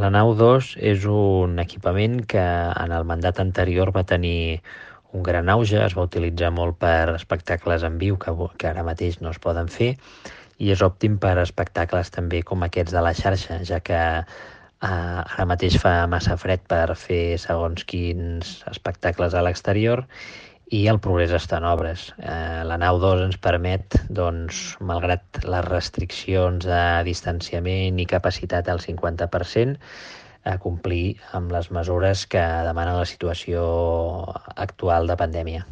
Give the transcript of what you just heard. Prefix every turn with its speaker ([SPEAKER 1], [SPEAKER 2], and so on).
[SPEAKER 1] La nau 2 és un equipament que en el mandat anterior va tenir un gran auge, es va utilitzar molt per espectacles en viu que ara mateix no es poden fer, i és òptim per espectacles també com aquests de la xarxa, ja que ara mateix fa massa fred per fer segons quins espectacles a l'exterior i el progrés està en obres. La nau 2 ens permet, doncs, malgrat les restriccions de distanciament i capacitat al 50%, a complir amb les mesures que demana la situació actual de pandèmia.